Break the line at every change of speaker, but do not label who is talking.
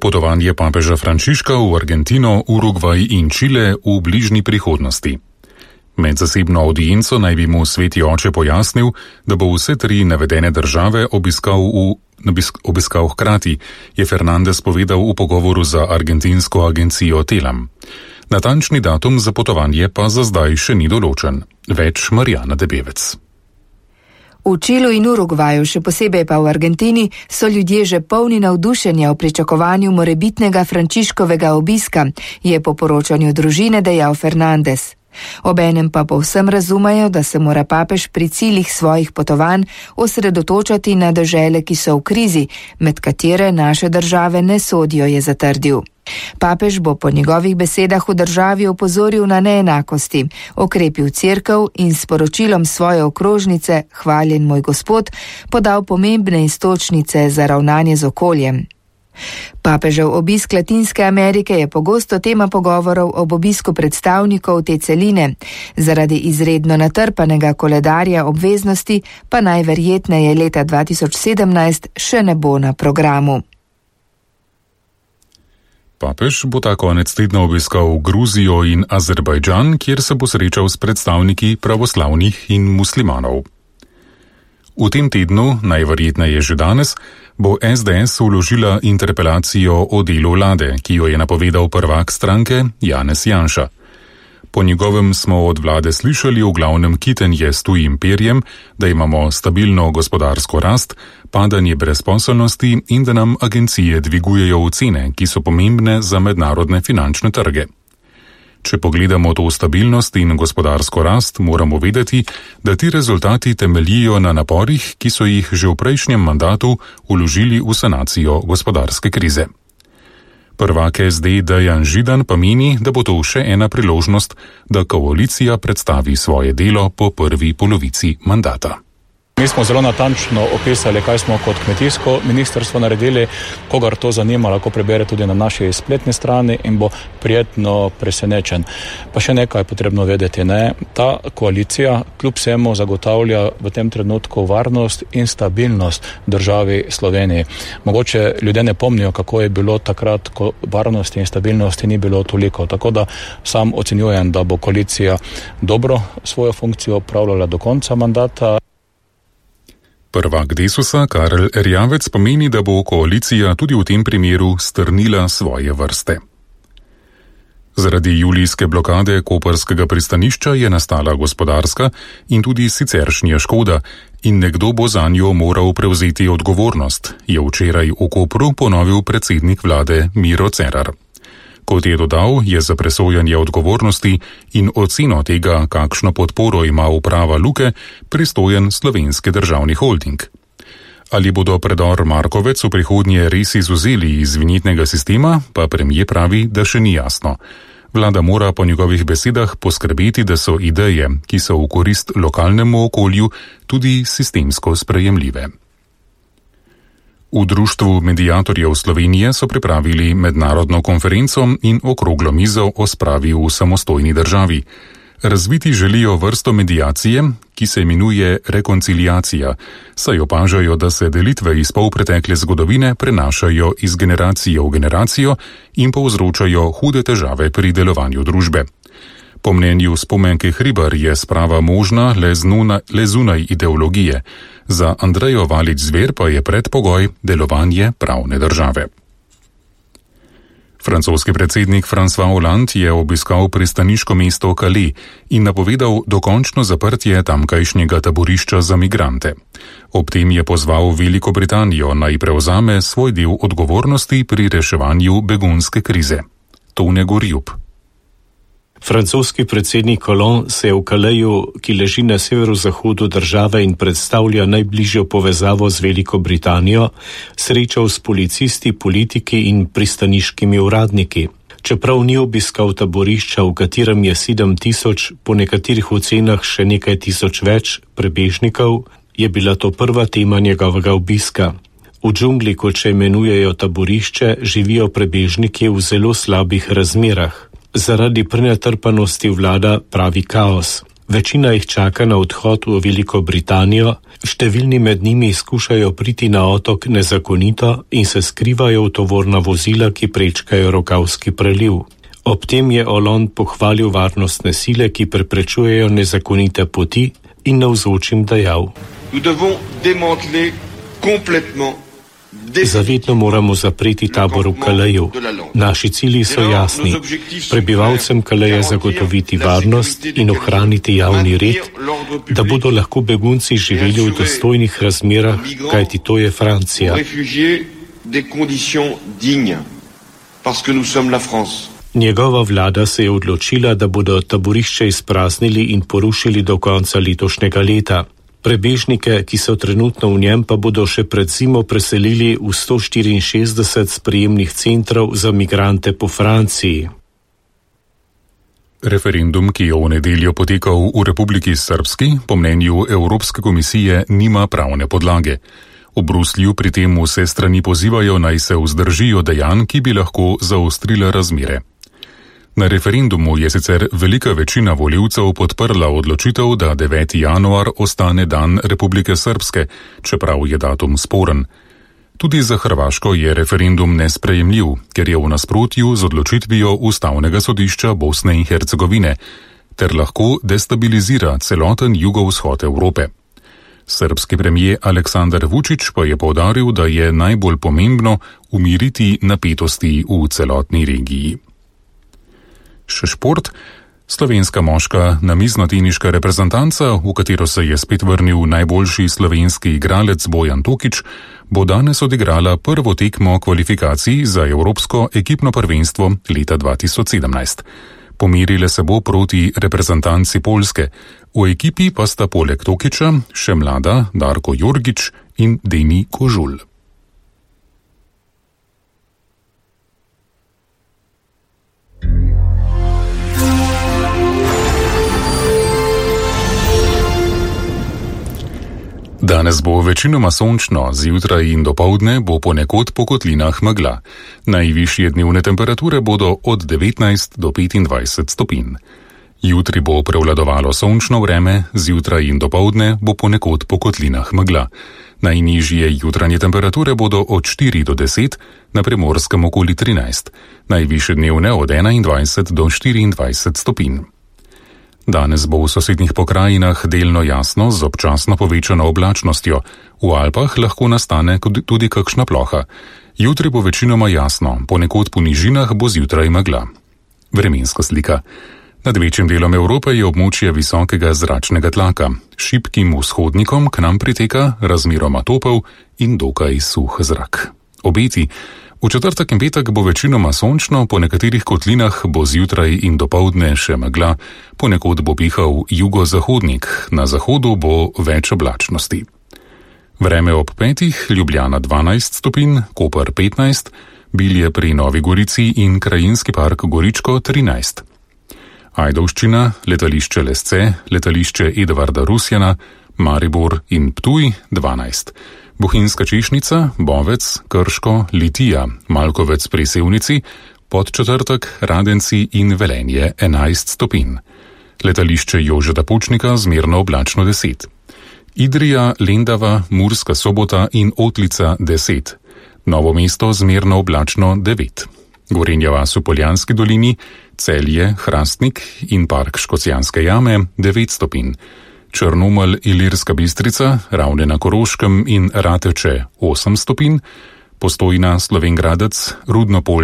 Potovanje papeža Frančiška v Argentino, Urugvaj in Čile v bližnji prihodnosti. Med zasebno audienco naj bi mu sveti oče pojasnil, da bo vse tri navedene države obiskal hkrati, je Fernandez povedal v pogovoru za argentinsko agencijo Telam. Natančni datum za potovanje pa za zdaj še ni določen. Več Marjana Debevec.
V Čilu in Urugvaju, še posebej pa v Argentini, so ljudje že polni navdušenja o pričakovanju morebitnega Frančiškovega obiska, je po poročanju družine dejal Fernandez. Obenem pa povsem razumejo, da se mora papež pri ciljih svojih potovanj osredotočati na dežele, ki so v krizi, med katere naše države ne sodijo, je zatrdil. Papež bo po njegovih besedah v državi opozoril na neenakosti, okrepil cerkev in s poročilom svoje okrožnice Hvaljen moj Gospod podal pomembne iztočnice za ravnanje z okoljem. Papežev obisk Latinske Amerike je pogosto tema pogovorov ob obisku predstavnikov te celine. Zaradi izredno natrpanega koledarja obveznosti pa najverjetneje leta 2017 še ne bo na programu.
Papež bo ta konec tedna obiskal Gruzijo in Azerbajdžan, kjer se bo srečal s predstavniki pravoslavnih in muslimanov. V tem tednu, najverjetneje že danes, bo SDS vložila interpelacijo o delu vlade, ki jo je napovedal prvak stranke Janez Janša. Po njegovem smo od vlade slišali v glavnem kitenje s tujim perjem, da imamo stabilno gospodarsko rast, padanje brezposelnosti in da nam agencije dvigujejo cene, ki so pomembne za mednarodne finančne trge. Če pogledamo to stabilnost in gospodarsko rast, moramo vedeti, da ti rezultati temeljijo na naporih, ki so jih že v prejšnjem mandatu vložili v sanacijo gospodarske krize. Prvak SD Dejan Židan pa meni, da bo to še ena priložnost, da koalicija predstavi svoje delo po prvi polovici mandata.
Mi smo zelo natančno opisali, kaj smo kot kmetijsko ministrstvo naredili. Kogar to zanima, lahko prebere tudi na naši spletni strani in bo prijetno presenečen. Pa še nekaj je potrebno vedeti, ne? Ta koalicija kljub vsemu zagotavlja v tem trenutku varnost in stabilnost državi Sloveniji. Mogoče ljudje ne pomnijo, kako je bilo takrat, ko varnosti in stabilnosti ni bilo toliko. Tako da sam ocenjujem, da bo koalicija dobro svojo funkcijo opravljala do konca mandata.
Prvak Desusa Karel Erjavec pomeni, da bo koalicija tudi v tem primeru strnila svoje vrste. Zaradi julijske blokade koprskega pristanišča je nastala gospodarska in tudi siceršnja škoda in nekdo bo zanjo moral prevzeti odgovornost, je včeraj v Kopru ponovil predsednik vlade Miro Cerar. Kot je dodal, je za presojanje odgovornosti in oceno tega, kakšno podporo ima uprava Luke, pristojen Slovenski državni holding. Ali bodo predor Markovec v prihodnje res izvzeli iz vinjetnega sistema, pa premier pravi, da še ni jasno. Vlada mora po njegovih besedah poskrbeti, da so ideje, ki so v korist lokalnemu okolju, tudi sistemsko sprejemljive. V Društvu mediatorjev Slovenije so pripravili mednarodno konferenco in okroglo mizo o spravi v samostojni državi. Razviti želijo vrsto mediacije, ki se imenuje rekonciliacija, saj opažajo, da se delitve iz polpretekle zgodovine prenašajo iz generacije v generacijo in povzročajo hude težave pri delovanju družbe. Po mnenju Spomenke Hribar je sprava možna le zunaj ideologije. Za Andrejo Valič-Zver pa je predpogoj delovanje pravne države. Francoski predsednik François Hollande je obiskal pristaniško mesto Calais in napovedal dokončno zaprtje tamkajšnjega taborišča za migrante. Ob tem je pozval Veliko Britanijo naj prevzame svoj del odgovornosti pri reševanju begunske krize. Tone Gorjub.
Francoski predsednik Hollande se je v Calaisu, ki leži na severozahodu države in predstavlja najbližjo povezavo z Veliko Britanijo, srečal s policisti, politiki in pristaniškimi uradniki. Čeprav ni obiskal taborišča, v katerem je 7,000, po nekaterih ocenah še nekaj tisoč več prebežnikov, je bila to prva tema njegovega obiska. V džungli, kot še imenujejo taborišče, živijo prebežniki v zelo slabih razmerah. Zaradi prenatrpanosti vlada pravi kaos. Večina jih čaka na odhod v Veliko Britanijo, številni med njimi skušajo priti na otok nezakonito in se skrivajo v tovorna vozila, ki prečkajo Rokavski preliv. Ob tem je Hollande pohvalil varnostne sile, ki preprečujejo nezakonite poti in navzočim dejal: Zavedno moramo zapreti tabor v Calaisu. Naši cilji so jasni. Prebivalcem Calaisa zagotoviti varnost in ohraniti javni red, da bodo lahko begunci živeli v dostojnih razmerah, kajti to je Francija. Njegova vlada se je odločila, da bodo taborišče izpraznili in porušili do konca letošnjega leta. Prebežnike, ki so trenutno v njem, pa bodo še pred zimo preselili v 164 sprejemnih centrov za migrante po Franciji.
Referendum, ki je v nedeljo potekal v Republiki Srbski, po mnenju Evropske komisije nima pravne podlage. V Bruslju pri tem vse strani pozivajo, naj se vzdržijo dejanj, ki bi lahko zaostrila razmere. Na referendumu je sicer velika večina volivcev podprla odločitev, da 9. januar ostane dan Republike Srbske, čeprav je datum sporen. Tudi za Hrvaško je referendum nesprejemljiv, ker je v nasprotju z odločitvijo Ustavnega sodišča Bosne in Hercegovine, ter lahko destabilizira celoten jugovzhod Evrope. Srbski premijer Aleksandar Vučić pa je poudaril, da je najbolj pomembno umiriti napetosti v celotni regiji. Še šport. Slovenska moška namiznoteniška reprezentanca, v katero se je spet vrnil najboljši slovenski igralec Bojan Tokič, bo danes odigrala prvo tekmo kvalifikacij za Evropsko ekipno prvenstvo leta 2017. Pomerile se bo proti reprezentanci Poljske. V ekipi pa sta poleg Tokiča še mlada Darko Jorgič in Deni Kožul. Danes bo večinoma sončno, zjutraj in dopoldne bo ponekod po kotlinah megla. Najvišje dnevne temperature bodo od 19 do 25 stopinj. Jutri bo prevladovalo sončno vreme, zjutraj in dopoldne bo ponekod po kotlinah megla. Najnižje jutranje temperature bodo od 4 do 10, na Primorskem okoli 13, najvišje dnevne od 21 do 24 stopinj. Danes bo v sosednjih pokrajinah delno jasno z občasno povečano oblačnostjo. V Alpah lahko nastane tudi kakšna ploha. Jutri bo večinoma jasno, ponekod po nižinah bo zjutraj megla. Vremenska slika. Nad večjim delom Evrope je območje visokega zračnega tlaka. Šibkim vzhodnikom k nam priteka razmeroma topel in dokaj suh zrak. Obeti. V četrtek in petek bo večinoma sončno, po nekaterih kotlinah bo zjutraj in dopoldne še megla, ponekod bo pihal jugozahodnik, na zahodu bo več oblačnosti. Vreme ob 5, Ljubljana 12 stopinj, Koper 15, Bilje pri Novi Gorici in Krajinski park Goričko 13. Ajdovščina, letališče Lesce, letališče Edvarda Rusjana, Maribor in Ptuj 12. Bohinjska Češnica, Bovec, Krško, Litija, Malkovec pri Sevnici, Podčetrtek, Radenci in Velenje 11 stopinj. Letališče Jožeta Pučnika zmerno oblačno 10. Idrija, Lendava, Murska Sobota in Otlica 10. Novo mesto zmerno oblačno 9. Gorenja vas v Poljanski dolini, Celje, Hrastnik in park Škocjanske jame 9 stopinj. Črnomelj, Ilirska Bistrica, Ravne na Koroškem in Rateče 8 stopinj, Postojna, Slovenj Gradec, Rudno Polje